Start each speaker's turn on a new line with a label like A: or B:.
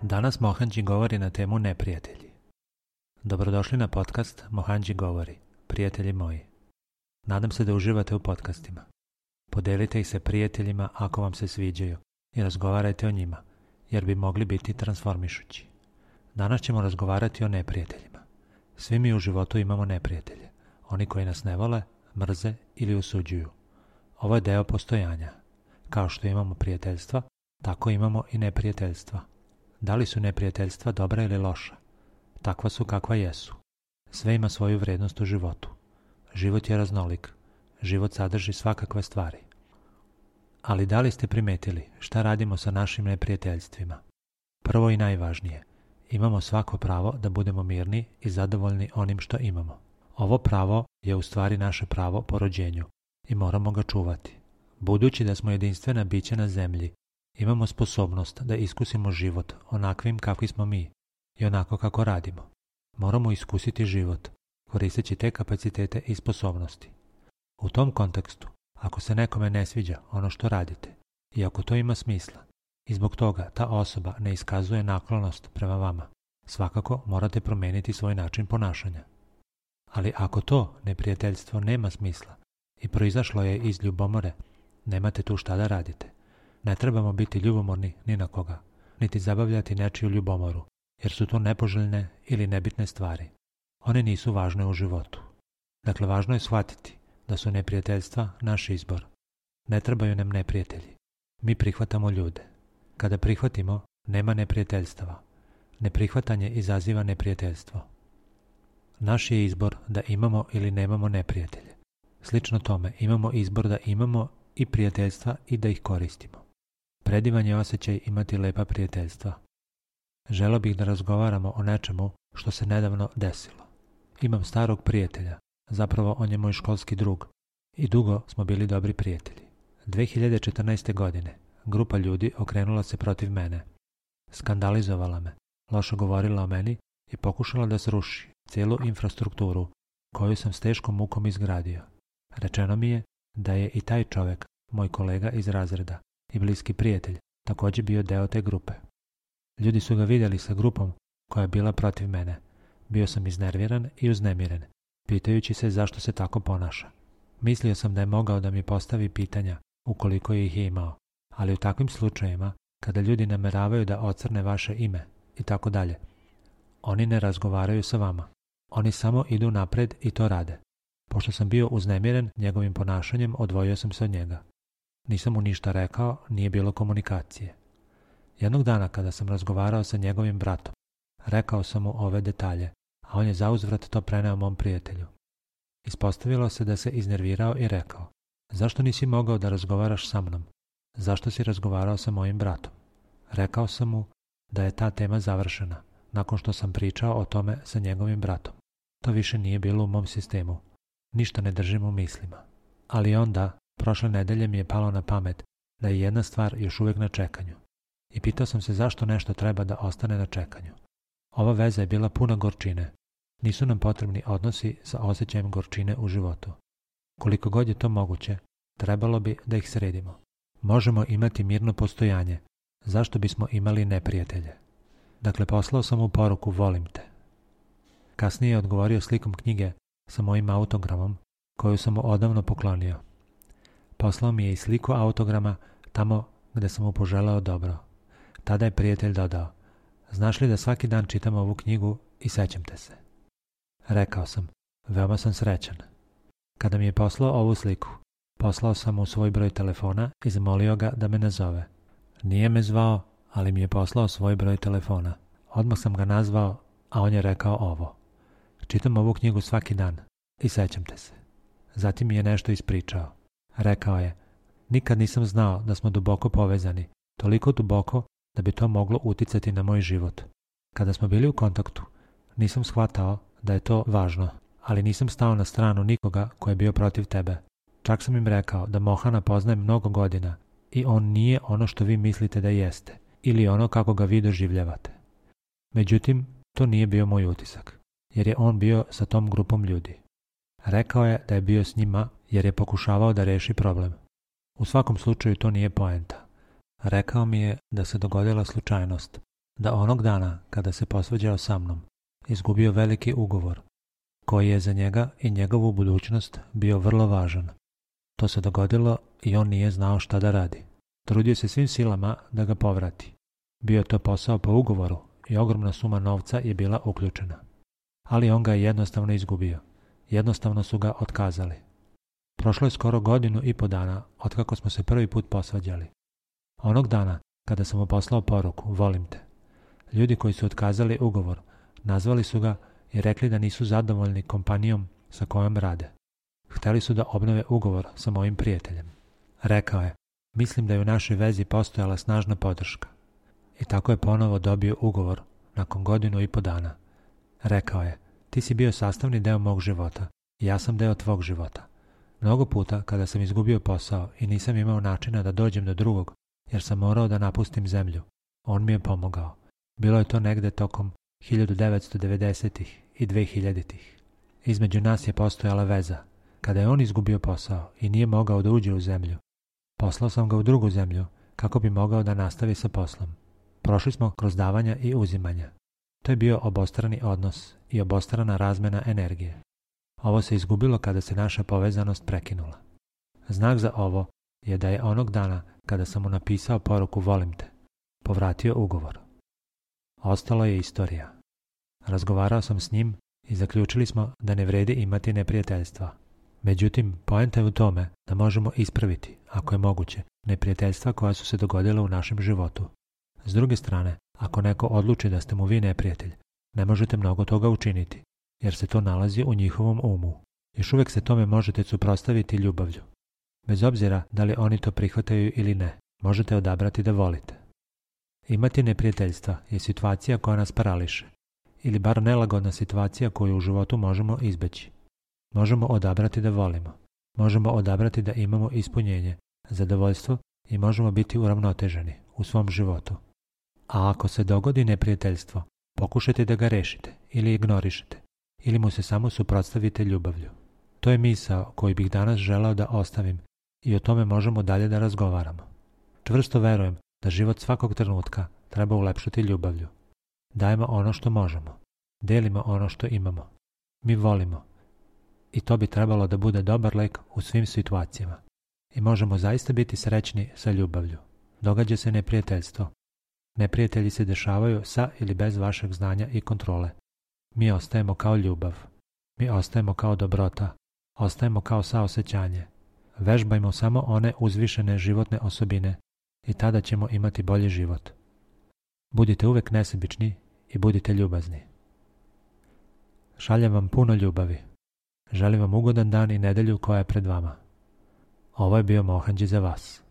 A: Danas Mohanji govori na temu neprijatelji. Dobrodošli na podcast Mohanji govori, prijatelji moji. Nadam se da uživate u podcastima. Podelite ih se prijateljima ako vam se sviđaju i razgovarajte o njima, jer bi mogli biti transformišući. Danas ćemo razgovarati o neprijateljima. Svi mi u životu imamo neprijatelje, oni koji nas ne vole, mrze ili osuđuju. Ovo je deo postojanja. Kao što imamo prijateljstva, tako imamo i neprijateljstva. Da li su neprijateljstva dobra ili loša? Takva su kakva jesu. Sve ima svoju vrednost u životu. Život je raznolik. Život sadrži svakakve stvari. Ali da li ste primetili šta radimo sa našim neprijateljstvima? Prvo i najvažnije, imamo svako pravo da budemo mirni i zadovoljni onim što imamo. Ovo pravo je u stvari naše pravo po rođenju i moramo ga čuvati. Budući da smo jedinstvena bića na zemlji, imamo sposobnost da iskusimo život onakvim kakvi smo mi i onako kako radimo. Moramo iskusiti život, koristeći te kapacitete i sposobnosti. U tom kontekstu, ako se nekome ne sviđa ono što radite i ako to ima smisla i zbog toga ta osoba ne iskazuje naklonost prema vama, svakako morate promijeniti svoj način ponašanja. Ali ako to neprijateljstvo nema smisla i proizašlo je iz ljubomore, nemate tu šta da radite. Ne trebamo biti ljubomorni ni na koga, niti zabavljati nečiju ljubomoru, jer su to nepoželjne ili nebitne stvari. One nisu važne u životu. Dakle, važno je shvatiti da su neprijateljstva naš izbor. Ne trebaju nam neprijatelji. Mi prihvatamo ljude. Kada prihvatimo, nema neprijateljstava. Neprihvatanje izaziva neprijateljstvo. Naš je izbor da imamo ili nemamo neprijatelje. Slično tome, imamo izbor da imamo i prijateljstva i da ih koristimo. Predivan je osjećaj imati lepa prijateljstva. Želeo bih da razgovaramo o nečemu što se nedavno desilo. Imam starog prijatelja, zapravo on je moj školski drug i dugo smo bili dobri prijatelji. 2014. godine grupa ljudi okrenula se protiv mene. Skandalizovala me, loše govorila o meni i pokušala da sruši cijelu infrastrukturu koju sam s teškom mukom izgradio. Rečeno mi je da je i taj čovjek, moj kolega iz razreda i bliski prijatelj, također bio deo te grupe. Ljudi su ga vidjeli sa grupom koja je bila protiv mene. Bio sam iznerviran i uznemiren, pitajući se zašto se tako ponaša. Mislio sam da je mogao da mi postavi pitanja ukoliko ih je imao, ali u takvim slučajevima, kada ljudi nameravaju da ocrne vaše ime i tako dalje, oni ne razgovaraju sa vama. Oni samo idu napred i to rade. Pošto sam bio uznemiren njegovim ponašanjem, odvojio sam se od njega. Nisam mu ništa rekao, nije bilo komunikacije. Jednog dana kada sam razgovarao sa njegovim bratom, rekao sam mu ove detalje, a on je zauzvrat to preneo mom prijatelju. Ispostavilo se da se iznervirao i rekao: zašto nisi mogao da razgovaraš sa mnom? Zašto si razgovarao sa mojim bratom? Rekao sam mu da je ta tema završena, nakon što sam pričao o tome sa njegovim bratom. To više nije bilo u mom sistemu. Ništa ne držim u mislima. Ali onda, prošle nedelje mi je palo na pamet da je jedna stvar još uvijek na čekanju. I pitao sam se zašto nešto treba da ostane na čekanju. Ova veza je bila puna gorčine. Nisu nam potrebni odnosi sa osjećajem gorčine u životu. Koliko god je to moguće, trebalo bi da ih sredimo. Možemo imati mirno postojanje. Zašto bismo imali neprijatelje? Dakle, poslao sam mu poruku volim te. Kasnije je odgovorio slikom knjige sa mojim autogramom koju sam mu odavno poklonio. Poslao mi je i sliku autograma tamo gde sam mu poželeo dobro. Tada je prijatelj dodao: znaš li da svaki dan čitam ovu knjigu i sećam te se? Rekao sam: veoma sam srećan. Kada mi je poslao ovu sliku, poslao sam mu svoj broj telefona i zamolio ga da me nazove. Nije me zvao, ali mi je poslao svoj broj telefona. Odmah sam ga nazvao, a on je rekao ovo: čitam ovu knjigu svaki dan i sećam te se. Zatim mi je nešto ispričao. Rekao je: nikad nisam znao da smo duboko povezani, toliko duboko da bi to moglo uticati na moj život. Kada smo bili u kontaktu, nisam shvatao da je to važno, ali nisam stao na stranu nikoga ko je bio protiv tebe. Čak sam im rekao da Mohana poznajem mnogo godina i on nije ono što vi mislite da jeste, ili ono kako ga vi doživljavate. Međutim, to nije bio moj utisak, jer je on bio sa tom grupom ljudi. Rekao je da je bio s njima jer je pokušavao da reši problem. U svakom slučaju to nije poenta. Rekao mi je da se dogodila slučajnost, da onog dana kada se posvađao sa mnom, izgubio veliki ugovor, koji je za njega i njegovu budućnost bio vrlo važan. To se dogodilo i on nije znao šta da radi. Trudio se svim silama da ga povrati. Bio je to posao po ugovoru i ogromna suma novca je bila uključena. Ali on ga je jednostavno izgubio. Jednostavno su ga otkazali. Prošlo je skoro 1,5 dana otkako smo se prvi put posvađali. Onog dana kada sam mu poslao poruku, volim te. Ljudi koji su otkazali ugovor, nazvali su ga i rekli da nisu zadovoljni kompanijom sa kojom rade. Hteli su da obnove ugovor sa mojim prijateljem. Rekao je, mislim da je u našoj vezi postojala snažna podrška. I tako je ponovo dobio ugovor nakon 1,5 dana. Rekao je, ti si bio sastavni deo mog života i ja sam deo tvog života. Mnogo puta kada sam izgubio posao i nisam imao načina da dođem do drugog, jer sam morao da napustim zemlju, on mi je pomogao. Bilo je to negde tokom 1990-ih i 2000-ih. Između nas je postojala veza. Kada je on izgubio posao i nije mogao da uđe u zemlju, poslao sam ga u drugu zemlju kako bi mogao da nastavi sa poslom. Prošli smo kroz davanja i uzimanja. To je bio obostrani odnos i obostrana razmena energije. Ovo se izgubilo kada se naša povezanost prekinula. Znak za ovo je da je onog dana kada sam mu napisao poruku volim te, povratio ugovor. Ostalo je istorija. Razgovarao sam s njim i zaključili smo da ne vredi imati neprijateljstva. Međutim, poenta je u tome da možemo ispraviti, ako je moguće, neprijateljstva koja su se dogodila u našem životu. S druge strane, ako neko odluči da ste mu vi neprijatelj, ne možete mnogo toga učiniti, jer se to nalazi u njihovom umu. Još uvijek se tome možete suprotstaviti ljubavlju. Bez obzira da li oni to prihvataju ili ne, možete odabrati da volite. Imati neprijateljstva je situacija koja nas parališe, ili bar nelagodna situacija koju u životu možemo izbeći. Možemo odabrati da volimo, možemo odabrati da imamo ispunjenje, zadovoljstvo i možemo biti uravnoteženi u svom životu. A ako se dogodi neprijateljstvo, pokušajte da ga rešite ili ignorišete, ili mu se samo suprotstavite ljubavlju. To je misao koju bih danas želeo da ostavim i o tome možemo dalje da razgovaramo. Čvrsto verujem da život svakog trenutka treba ulepšati ljubavlju. Dajemo ono što možemo, delimo ono što imamo. Mi volimo. I to bi trebalo da bude dobar lek u svim situacijama. I možemo zaista biti srećni sa ljubavlju. Događa se neprijateljstvo. Neprijatelji se dešavaju sa ili bez vašeg znanja i kontrole. Mi ostajemo kao ljubav. Mi ostajemo kao dobrota. Ostajemo kao saosećanje. Vežbajmo samo one uzvišene životne osobine i tada ćemo imati bolji život. Budite uvek nesebični i budite ljubazni. Šaljem vam puno ljubavi. Želim vam ugodan dan i nedelju koja je pred vama. Ovo je bio Mohanđi za vas.